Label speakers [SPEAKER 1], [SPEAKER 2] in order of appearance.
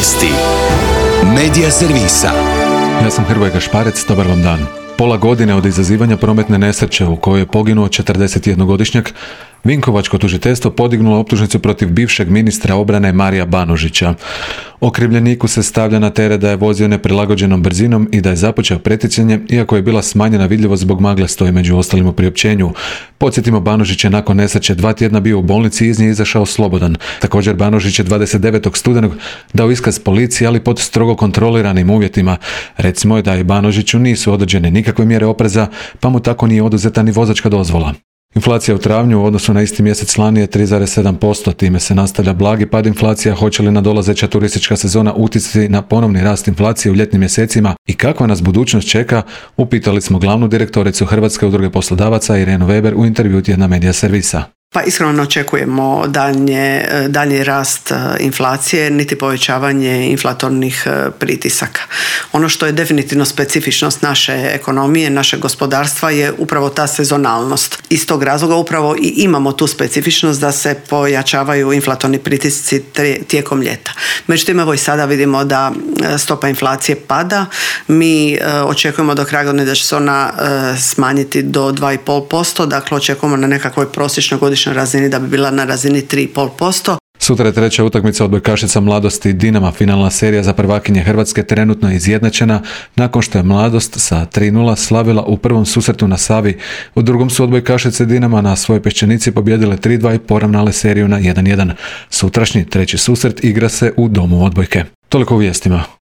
[SPEAKER 1] Vijesti Medija servisa.
[SPEAKER 2] Ja sam Hrvoje Gašparec, dobar vam dan. Pola godine od izazivanja prometne nesreće u kojoj je poginuo 41-godišnjak, Vinkovačko tužiteljstvo podignulo optužnicu protiv bivšeg ministra obrane Marija Banožića. Okrivljeniku se stavlja na teret da je vozio neprilagođenom brzinom i da je započeo pretjecanje, iako je bila smanjena vidljivost zbog magle, stoji među ostalim u priopćenju. Podsjetimo, Banožić je nakon nesreće 2 tjedna bio u bolnici i iz nje izašao slobodan. Također, Banožić je 29. studenog dao iskaz policiji, ali pod strogo kontroliranim uvjetima. Recimo je da i Banožiću nisu određene nikakve mjere opreza, pa mu tako nije oduzeta ni vozačka dozvola. Inflacija u travnju u odnosu na isti mjesec lani je 3,7%, time se nastavlja blagi pad inflacija. Hoće li nadolazeća turistička sezona utjecati na ponovni rast inflacije u ljetnim mjesecima i kakva nas budućnost čeka, upitali smo glavnu direktoricu Hrvatske udruge poslodavaca Irenu Weber u intervjuu Tjedna Medija servisa.
[SPEAKER 3] Pa iskreno očekujemo daljnji rast inflacije, niti povećavanje inflatornih pritisaka. Ono što je definitivno specifičnost naše ekonomije, našeg gospodarstva je upravo ta sezonalnost. Iz tog razloga upravo i imamo tu specifičnost da se pojačavaju inflatorni pritisci tijekom ljeta. Međutim, evo i sada vidimo da stopa inflacije pada. Mi očekujemo do kraja godine da će se ona smanjiti do 2,5%, dakle očekujemo na nekakvoj prosječnoj godišnjoj razini da bi bila na razini 3,5%.
[SPEAKER 2] Sutra je treća utakmica odbojkašica Mladosti Dinama. Finalna serija za prvakinje Hrvatske trenutno je izjednačena nakon što je Mladost sa 3:0 slavila u prvom susretu na Savi. U drugom su odbojkašice Dinama na svojoj Peščenici pobijedile 3:2 i poravnale seriju na 1:1. Sutrašnji treći susret igra se u Domu odbojke. Toliko u vijestima.